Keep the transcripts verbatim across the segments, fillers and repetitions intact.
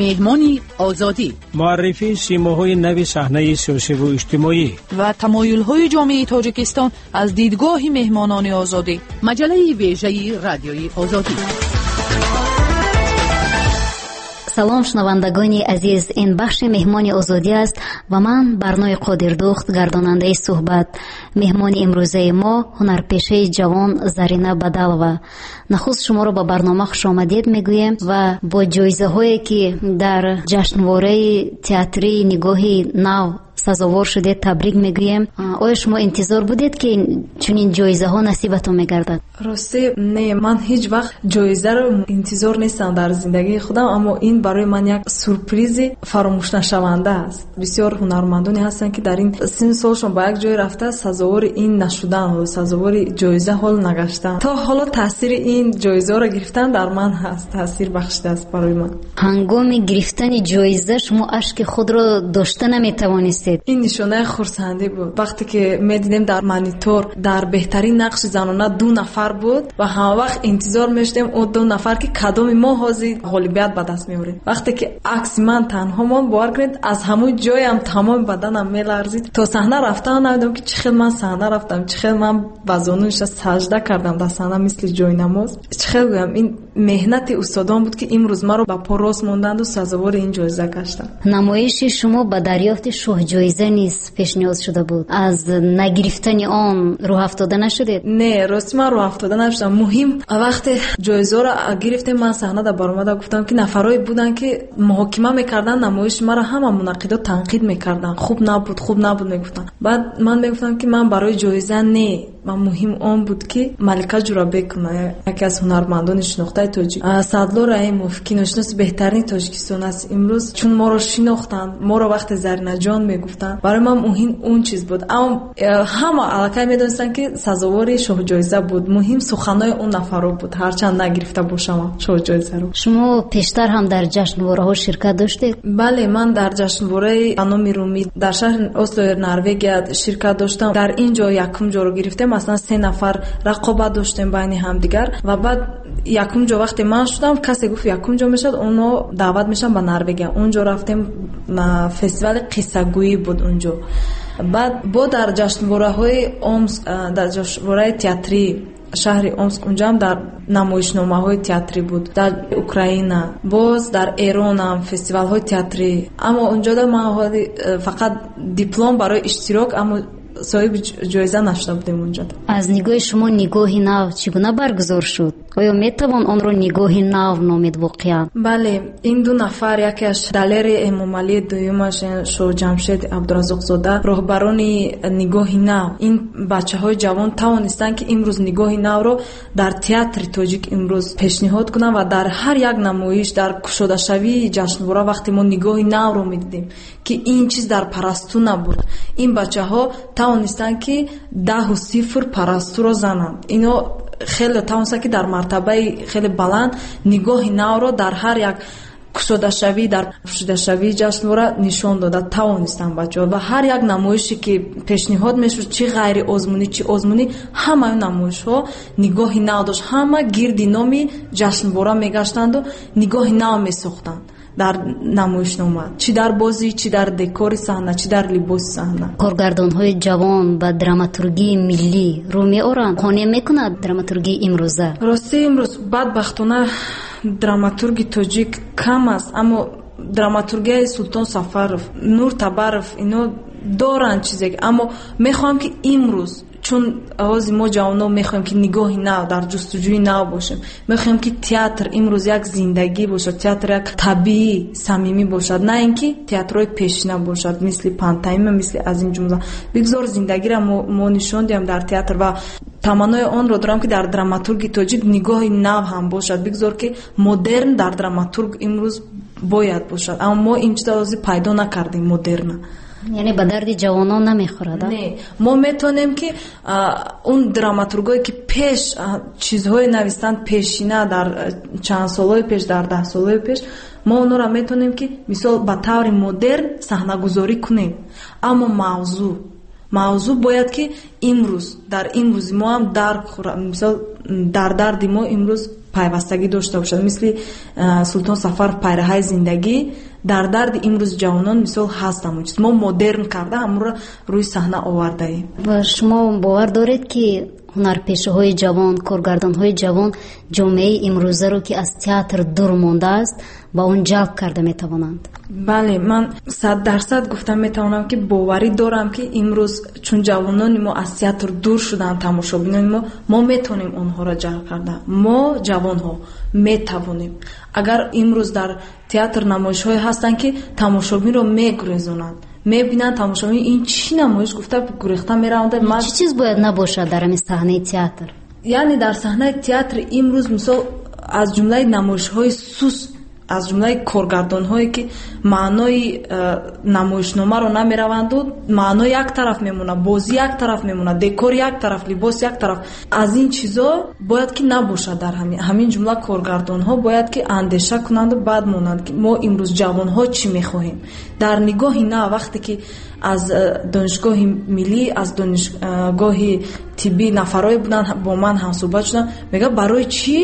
Меҳмони Озодӣ, муаррифии симоҳои нави саҳнаи сиёсиву иҷтимоӣ ва тамоюлҳои ҷомеаи Тоҷикистон аз дидгоҳи меҳмонони Озодӣ. Маҷаллаи вежаи Радиои Озодӣ. Салом, шунавандагони азиз, ин бахши Меҳмони Озодӣ аст ва ман Барнои Қодирдухт, гардонандаи суҳбат. Меҳмони имрӯзаи мо ҳунарпешаи ҷавон Зарина Бадалова. Нахуст шуморо ба барнома хушомадед мегӯем ва бо ҷоизаҳое ки дар ҷашнвораи театрии Нигоҳи нав сазовор шудед, табрик мегӯем. Оё шумо интизор будед, ки чунин ҷоизаҳо насибатон мегардад? Рости не, ман ҳеҷ вақт ҷоизаро интизор нестам дар зиндагии худам, аммо ин барои ман як сюрпризи фаромӯшнашаванда аст. Бисёр ҳунармандоне ҳастанд, ки дар ин синну солшон ба як ҷой рафта сазовори ин нашудан, сазовори ҷоиза ҳол нагаштан. То ҳоло таъсири ин ҷоизаро гирифтан дар ман ҳаст, таъсир бахшидааст барои ман. Ҳангоми гирифтани ҷоиза шумо ашки худро дошта наметавонистед. Ин нишонаи хурсандӣ буд. Вақте ки медидем дар монитор дар беҳтарин нақши занона ду нафар буд ва ҳамавақт интизор мешудем он ду нафар, ки кадоми мо ҳозир ғолибият ба даст меорем. Вақте ки акси ман танҳо монд, бовар кунед, аз ҳамон ҷоям тамоми баданам меларзид. То саҳна рафтан намедонам, ки чӣ хел ман саҳна рафтам, чӣ хел ман ба зону нишаст сажда кардам дар саҳна мисли ҷойнамоз. Чӣ хел гӯям, ин меҳнати устодон буд, ки имрӯз маро ба по рост монданду сазовори ин ҷоиза гаштам. Намоиши шумо ба дарёфти шоҳҷоиза низ пешниҳод шуда буд. Аз нагирифтани он рӯҳафтода нашудед? Не, рости ман рӯҳафтода нашудам. Муҳим вақте ҷоизаро гирифтем, ман саҳнада баромада гуфтам, ки нафарое буданд, ки муҳокима мекарданд намоиши маро, ҳама мунаққидо танқид мекарданд, хуб набуд, хуб набуд мегуфтанд. Баъд ман мегуфтам, ки ман барои ҷоиза не, ман муҳим он буд, ки Малика Ҷурабекова, яке аз ҳунармандони шинохтаи тоҷик, Садло Раҳимов, киношиноси беҳтарини Тоҷикистон аст имрӯз, чун моро шинохтанд, моро вақте Заринаҷон мегуфтанд, барои ман муҳим он чиз буд. Аммо ҳама аллакай медонистанд, ки сазовори шоҳҷоиза буд. Муҳим суханои он нафаро буд, ҳарчанд нагирифта бошам шоҳҷоизаро. Шумо пештар ҳам дар ҷашнвораҳо ширкат доштед? Бале, ман дар ҷашнвораи ба номи Румӣ дар шаҳри Ослои Норвегия ширкат доштам. Дар ин ҷо якум ҷоро гирифтем. Аслан се нафар рақобат доштем байни ҳамдигар ва баъд якум ҷо вақте ман шудам, касе гуфт якум ҷо мешавад, онҳо даъват мешаванд ба Норвегия. Онҷо рафтем, фестивали қиссагӯӣ буд онҷо. Баъд бо дар ҷашнвораҳои Омск, дар ҷашнвораи театрии шаҳри Омск, унҷоам дар намоишномаҳои театрӣ буд, дар Украина, боз дар Эронам фестивалҳои театрӣ. Аммо унҷода ман ҳоли фақат диплом барои иштирок, аммо соҳиби ҷоиза нашуда будем унҷо. Аз нигоҳи шумо Нигоҳи нав чӣ гуна баргузор шуд? Оё метавон онро Нигоҳи нав номид воқеан? Бале, ин ду нафар, якеаш Далери Эмомалӣ, дуюмаш Шоҳҷамшед Абдураззоқзода, роҳбарони Нигоҳи нав. Ин бачаҳои ҷавон тавонистанд, ки имрӯз Нигоҳи навро дар театри тоҷик имрӯз пешниҳод кунанд ва дар ҳар як намоиш, дар кушодашавии ҷашнвора вақте мо Нигоҳи навро медидем, ки ин чиз дар Парасту набуд, ин бачаҳо тавонистанд, ки даҳу сифр Парастуро зананд. Ино хеле тавонистанд, ки дар мартабаи хеле баланд Нигоҳи навро дар ҳар як кушодашавӣ, дар пӯшидашавии ҷашнвора нишон дода тавонистанд бачаҳо. Ва ҳар як намоише ки пешниҳод мешуд, чӣ ғайриозмунӣ, чӣ озмунӣ, ҳамаи намоишҳо Нигоҳи нав дошт. Ҳама гирди номи ҷашнвора мегаштанду Нигоҳи нав месохтанд дар намоишнома, чӣ дар бозӣ, чӣ дар декори саҳна, чӣ дар либоси саҳна. Коргардонҳои ҷавон ба драматургии миллӣ рӯ меоранд? Қонеъ мекунад драматургии имрӯза? Рости имрӯз бадбахтона драматурги тоҷик кам аст, аммо драматургияи Султон Сафаров, Нур Табаров, ино доранд чизе, аммо мехоҳам, ки имрӯз, чун ҳозир мо ҷавонон мехоҳем, ки нигоҳи нав, дар ҷустуҷӯи нав бошем, мехоҳем, ки театр имрӯз як зиндагӣ бошад, театр як табиӣ, самимӣ бошад, на ин ки театрҳои пешина бошад, мисли пантомима, мисли аз ин ҷумла. Бигзор зиндагиро мо нишон диҳем дар театр ва таманнои онро дорам, ки дар драматурги тоҷик нигоҳи нав ҳам бошад. Бигзор, ки модерн дар драматург имрӯз бояд бошад, аммо мо ин чизро ҳозир пайдо накардем модерна. Яъне ба дарди ҷавонон намехӯрад? Не, мо метавонем, ки он драматургое, ки пеш чизҳое навистанд, пешина дар чанд солҳои пеш, дар даҳ солҳои пеш, мо онҳоро метавонем, ки мисол ба таври модерн саҳнагузорӣ кунем, аммо мавзӯъ мавзӯъ бояд, ки имрӯз дар имрӯзи мо ҳам дарк хӯрад. Мисол дар дарди мо имрӯз пайвастагӣ дошта бошад. Мисли Султон Сафаров пайраҳаи зиндагӣ дар дарди имрӯз ҷавонон мисол ҳаст ҳамон чиз. Мо модерн карда ҳамонро рӯи саҳна овардаем. Ва шумо бовар доред, ки ҳунарпешаҳои ҷавон, коргардонҳои ҷавон ҷомеаи имрӯзаро, ки аз театр дур мондааст, ба он ҷалб карда метавонанд? Бале, ман сад дарсад гуфта метавонам, ки боварӣ дорам, ки имрӯз чун ҷавонони мо аз театр дур шуданд, тамошобинони мо, мо метавонем онҳоро ҷалб карда. Мо ҷавонҳо метавонем. Агар имрӯз дар театр намоишҳое ҳастанд, ки тамошобинро мегурезонанд, мебинанд тамошобин ин чӣ намоиш гуфта гурехта мераванд. Ман... Чӣ чиз бояд набошад дар ҳамин саҳнаи театр? Яъне дар саҳнаи театр имрӯз мисол аз ҷумлаи намоишҳои суст, аз ҷумлаи коргардонҳое, ки маънои намоишномаро намераванду, маъно як тараф мемонад, бозӣ як тараф мемонад, декор як тараф, либос як тараф. Аз ин чизо бояд ки набошад. Дар ҳамин ҳамин ҷумла коргардонҳо бояд ки андеша кунанду баъд монанд, ки мо имрӯз ҷавонҳо чӣ мехоҳем. Дар нигоҳи нав, вақте ки аз донишгоҳи миллӣ, аз донишгоҳи тиббӣ нафарое буданд, бо ман ҳамсӯҳбат шуданд, мегӯяд барои чӣ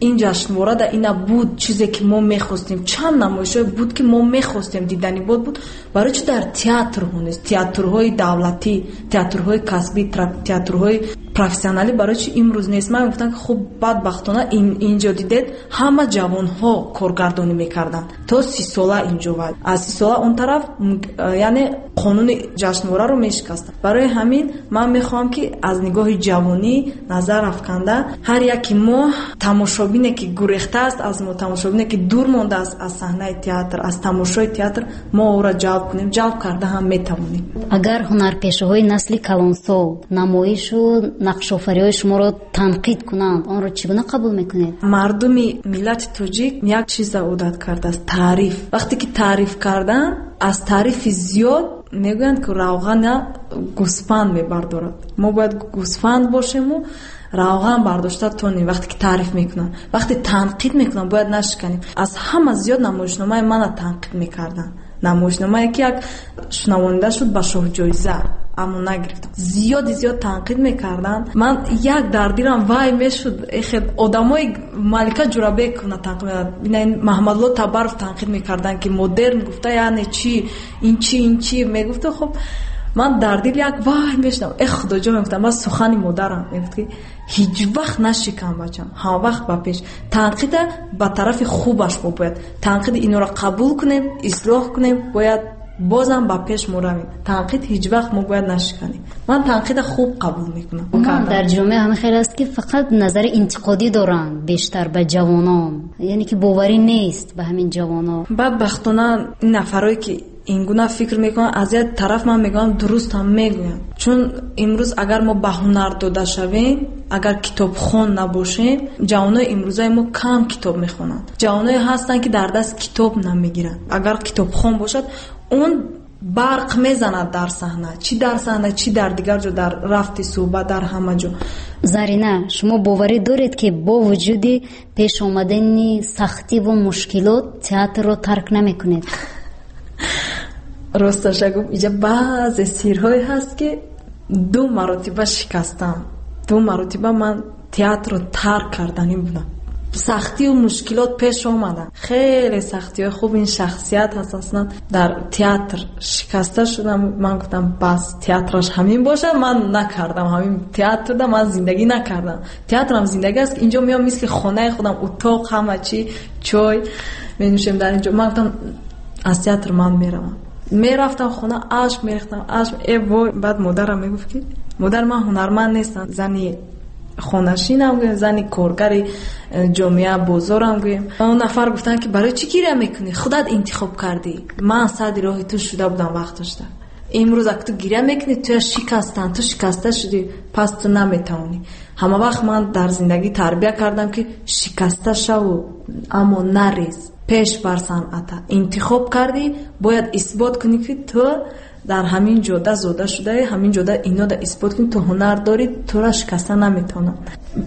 ин ҷашнвора да ина буд чизе ки мо мехостем, чанд намоишҳое буд ки мо мехостем, дидани буд буд, барои чӣ дар театрҳо нест? Театрҳои давлатӣ, театрҳои касбӣ, театрҳои профессионалӣ барои чӣ имрӯз нест? Ман гуфтам ки хуб, бадбахтона инҷо дидед ҳама ҷавонҳо коргардонӣ мекарданд то си сола инҷо, ва аз си сола он тараф яъне қонуни ҷашнвораро мешикастанд. Барои ҳамин ман мехоҳам, ки аз нигоҳи ҷавонӣ назар афканда ҳар яки мо тамошобине, ки гурехта аст аз мо, тамошобине, ки дур мондааст аз саҳнаи театр, аз тамошои театр, мо ӯро ҷалб кунем. Ҷалб карда ҳам метавонем. Агар ҳунарпешаҳои насли калонсол намоишу нақшофариҳои шуморо танқид кунанд, онро чӣ гуна қабул мекунед? Мардуми миллати тоҷик як чиза одат кардааст: таъриф. Вақте ки таъриф кардан, аз таърифи зиёд мегӯянд, ки равғана гӯсфанд мебардорад. Мо бояд гӯсфанд бошему равған бардошта тонем. Вақте ки таъриф мекунанд, вақте танқид мекунанд, бояд нашиканем. Аз ҳама зиёд намоишномаи мана танқид мекарданд. Намоишномае ки як шунавонда шуд ба шоҳҷоиза, аммо нагирифтам. Зиёди зиёд танқид мекарданд. Ман як дар дилам вай мешуд, эхе одамои Малика Ҷурабековна танқид мекарданд, бинед Маҳмадло Табаров танқид мекарданд, ки модерн гуфта яъне чӣ, ин чӣ, ин чӣ мегуфта. Хуб, ман дар дил як вай мешудам, э худоҷон, мегуфтам, ман сухани модарам мегуфт, ки ҳеҷ вақт нашикам бачам, ҳама вақт ба пеш. Танқида ба тарафи хубаш мо бояд танқиди инора қабул кунем, ислоҳ кунем, бояд бозам ба пеш мо равем. Танқид ҳеҷ вақт мо бояд нашиканем. Ман танқида хуб қабул мекунам. Дар ҷомеа ҳамин хел аст, ки фақат назари интиқодӣ доранд бештар ба ҷавонон, яъне ки боварӣ нест ба ҳамин ҷавонон. Бадбахтона ин нафарое, ки ин гуна фикр мекунанд, аз як тараф ман мегӯям дуруст ҳам мегӯянд, чун имрӯз агар мо ба ҳунар дода шавем, агар китобхон набошем, ҷавонои имрӯзаи мо кам китоб мехонанд. Ҷавоное ҳастанд, ки дар даст китоб намегиранд. Агар китобхон бошад, он барқ мезанад дар саҳна, чӣ дар саҳна, чӣ дар дигар ҷо, дар рафти суҳбат, дар ҳама ҷо. Зарина, шумо боварӣ доред, ки бо вуҷуди пеш омадани сахтиву мушкилот театрро тарк намекунед? Росташа гуфт, инҷа баъзе сирҳое ҳаст, ки ду маротиба шикастам. Ду маротиба ман театрро тарк карданӣ будам. Сахтию мушкилот пеш омаданд, хеле сахтиҳои хуб. Ин шахсият ҳаст, аслан дар театр шикаста шудам. Ман гуфтам бас, театраш ҳамин бошад, ман накардам ҳамин театрда, ман зиндагӣ накардам. Театрам зиндагӣ аст, инҷо меом мисли хонаи худам, утоқ, ҳама чӣ, чой менӯшем дар инҷо. Ман гуфтам аз театр ман меравам. Мерафтам хона, ашк мерехтам, ашк. Э вой, баъд модарам мегуфт, ки модар, ман ҳунарманд нестам, зани хонашинам гӯем, зани коргари ҷомеа, бозорам гӯем. Он нафар гуфтанд, ки барои чӣ гиря мекунӣ? Худат интихоб кардӣ. Ман сади роҳи ту шуда будам вақташда. Имрӯз ак ту гиря мекунӣ, туя шикастанд, ту шикаста шудӣ, пас ту наметавонӣ. Ҳама вақт ман дар зиндагӣ тарбия кардам, ки шикаста шаву, аммо нарез, пеш бар санъата. Интихоб кардӣ, бояд исбот кунӣ, ки ту дар ҳамин ҷода зода шудаӣ, ҳамин ҷода инода исбот кунӣ, ту ҳунар дорӣ, тура шикаста наметавонам.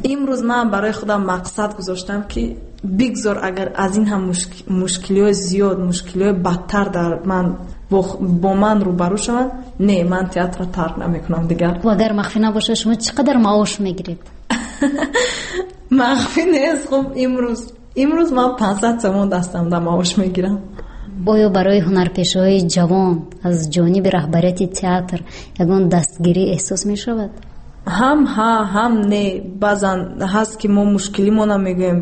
Имрӯз ман барои худам мақсад гузоштам, ки бигзор агар аз ин ҳам мушкилиҳои зиёд, мушкилиҳои бадтар дар ман бо ман рӯбарӯ шаванд, не, ман театрро тарк намекунам дигар. Агар махфӣ набошад, шумо чӣ қадар маош мегиред? Махфӣ нест. Хуб, имрӯз имрӯз ман панҷсад сомон дастам да маош мегирам. Оё барои ҳунарпешаҳои ҷавон аз ҷониби раҳбарияти театр ягон дастгирӣ эҳсос мешавад? Ҳам ҳа, ҳам не. Баъзан ҳаст ки мо мушкилимона мегӯем,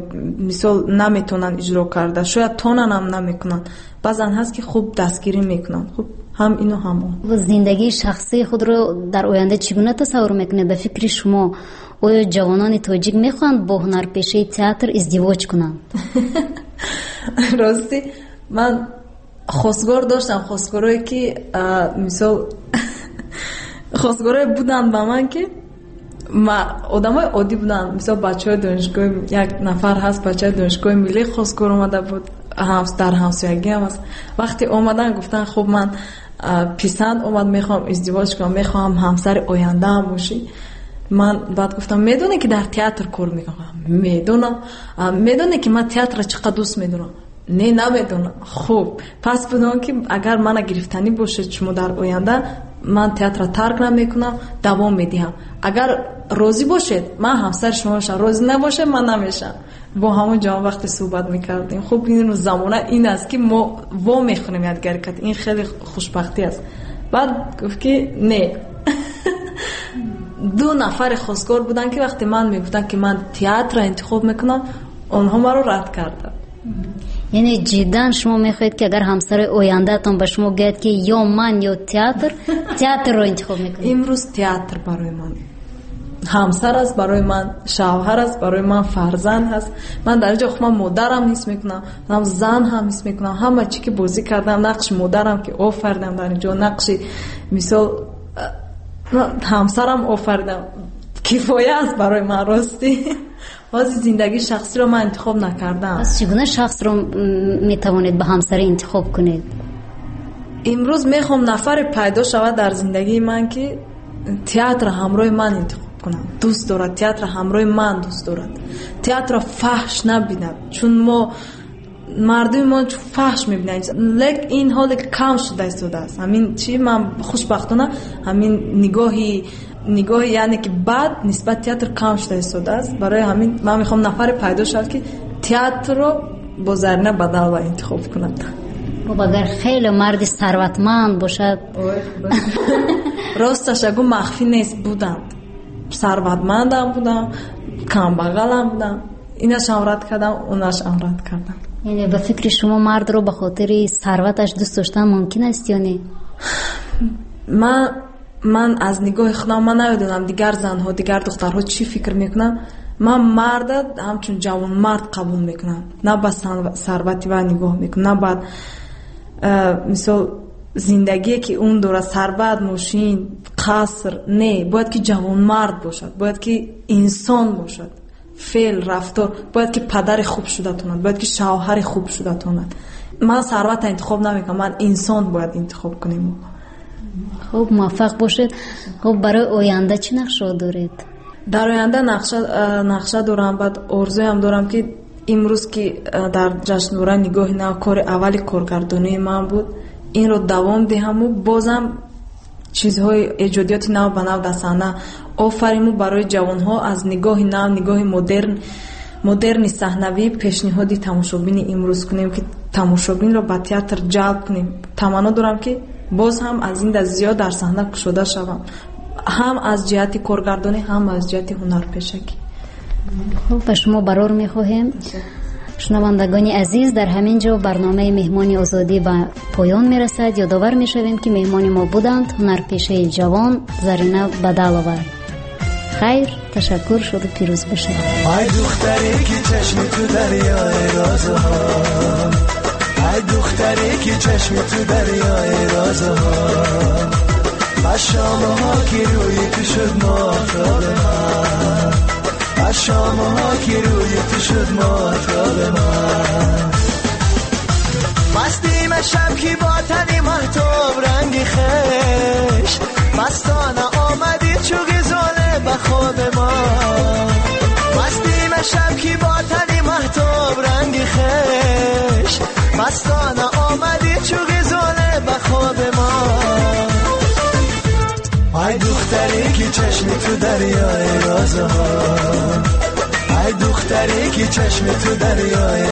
мисол наметавонанд иҷро карда, шояд тонан ҳам намекунанд. Баъзан ҳаст ки хуб дастгирӣ мекунанд. Хуб, ҳам ину ҳам он. Зиндагии шахсии худро дар оянда чӣ гуна тасаввур мекунед? Ба фикри шумо оё ҷавонони тоҷик мехоҳанд бо ҳунарпешаи театр издивоҷ кунанд? Ростӣ ман хостгор доштам, хостгорое ки мисол хостгорое буданд ба ман ки одамои оддӣ буданд. Мисол бачаҳои донишгоҳи, як нафар ҳаст бачаи донишгоҳи миллӣ хостгор омада буд, дар ҳамсоягиам аст. Вақте омадан гуфтанд хуб ман писанд омад, мехоҳам издивоҷ кунам, мехоҳам ҳамсари ояндаам бошӣ. Ман баъд гуфтам медонӣ ки дар театр кор мекунам? Медонам. Медонӣ ки ман театрро чӣ қадр дӯст медорам? Не, намедонам. Хуб, пас бидон ки агар мана гирифтанӣ бошед шумо дар оянда, ман театрро тарк намекунам, давом медиҳам. Агар розӣ бошед, ман ҳамсари шумо мешавам, розӣ набошед, ман намешавам. Бо ҳамон ҷавон вақте суҳбат мекардем. Хуб, ин замона ин аст ки мо во мехонем якдигари кат. Ин хеле хушбахтӣ аст. Баъд гуфт ки не. Ду нафари хостгор буданд ки вақте ман мегуфтам ки ман театрро интихоб мекунам, онҳо маро рад карданд. Яъне ҷиддан шумо мехоҳед ки агар ҳамсари ояндаатон ба шумо гӯяд ки ё ман ё театр, театрро интихоб мекунед? Имрӯз театр барои ман ҳамсар аст, барои ман шавҳар аст, барои ман фарзанд аст. Ман дар ин ҷо худам модарам ҳис мекунам, ҳам зан ҳам ҳис мекунам. Ҳама чӣ ки бозӣ кардам, нақши модарам ки офаридам дар ин ҷо, нақши мисол ҳамсарам офаридам, кифоя аст барои ман. Ростӣ ҳозир зиндагии шахсиро ман интихоб накардам. Пас чӣ гуна шахсро метавонед ба ҳамсарӣ интихоб кунед? Имрӯз мехоҳам нафаре пайдо шавад дар зиндагии ман ки театр ҳамроҳи ман интихоб кунад, дӯст дорад театр ҳамроҳи ман дӯст дорад, театрро фаҳш набинад, чун мо мардуми мо фаҳш мебинанд. Лек ин ҳоле кам шуда истодааст. Ҳамин чӣ ман хушбахтона ҳамин нигоҳи нигоҳи яъне ки бад нисбат театр кам шуда истодааст. Барои ҳамин ман мехоҳам нафаре пайдо шавад ки театрро бо Зарина Бадалова интихоб кунад. Хуб, агар хеле марди сарватманд бошад? Росташ агу махфӣ нест, буданд. Сарватмандам будам, камбағалам будам. Инашам рад кардам, онашам рад кардам. Яъне ба фикри шумо мардро ба хотири сарваташ дӯст доштан мумкин аст ё не? Ман ман аз нигоҳи худам ман намедонам дигар занҳо, дигар духтарҳо чӣ фикр мекунанд. Ман марда ҳамчун ҷавонмард қабул мекунам, на ба сарвати вай нигоҳ мекунам, на ба мисол зиндагие ки он дорад, сарват, мошин, қаср. Не, бояд ки ҷавонмард бошад, бояд ки инсон бошад, феъл, рафтор, бояд ки падари хуб шуда тонад, бояд ки шавҳари хуб шуда тонад. Ман сарватро интихоб намекунам, ман инсон бояд интихоб кунем. Хуб, муваффақ бошед. Хуб, барои оянда чӣ нақшаҳо доред? Дар оянда нақша нақша дорам, баъд орзуям дорам ки имрӯз ки дар ҷашнвора нигоҳи нав кори аввали коргардонии ман буд, инро давом диҳаму бозам чизҳои эҷодиёти нав ба нав дар саҳна офариму барои ҷавонҳо аз нигоҳи нав, нигоҳи модерн, модерни саҳнавӣ пешниҳоди тамошобини имрӯз кунем ки тамошобинро ба театр ҷалб кунем. Таманно дорам ки боз ҳам аз ин даст зиёд дар саҳна кушода шавам, ҳам аз ҷиҳати коргардонӣ, ҳам аз ҷиҳати ҳунарпешагӣ. Хуб, ба шумо барор мехоҳем. Шунавандагони азиз, дар ҳамин ҷо барномаи меҳмони озодӣ ба поён мерасад. Ёдовар мешавем ки меҳмони мо буданд ҳунарпешаи ҷавон Зарина Бадалова. Хайр, ташаккур, шуду пирӯз бошед. Ай духтаре ки чашми ту дарёи розҳо, ай духтаре ки чашми ту дарёи розҳо, ба шомҳо ки рӯи ту шуд моҳтоби ман, ба шомҳо ки рӯи ту шуд моҳтоби ман. Мастим шаб ки бо тани маҳтоб ранги хеш, мастона омадӣ чу ғизоле ба хоби мо. Мастим шаб ки бо тани маҳтоб ранги хеш, мастона омадӣ чу ғизоле ба хоби мо. Ай духтаре ки чашми ту дарёи розҳо, ай духтаре دختری که چشم تو دریای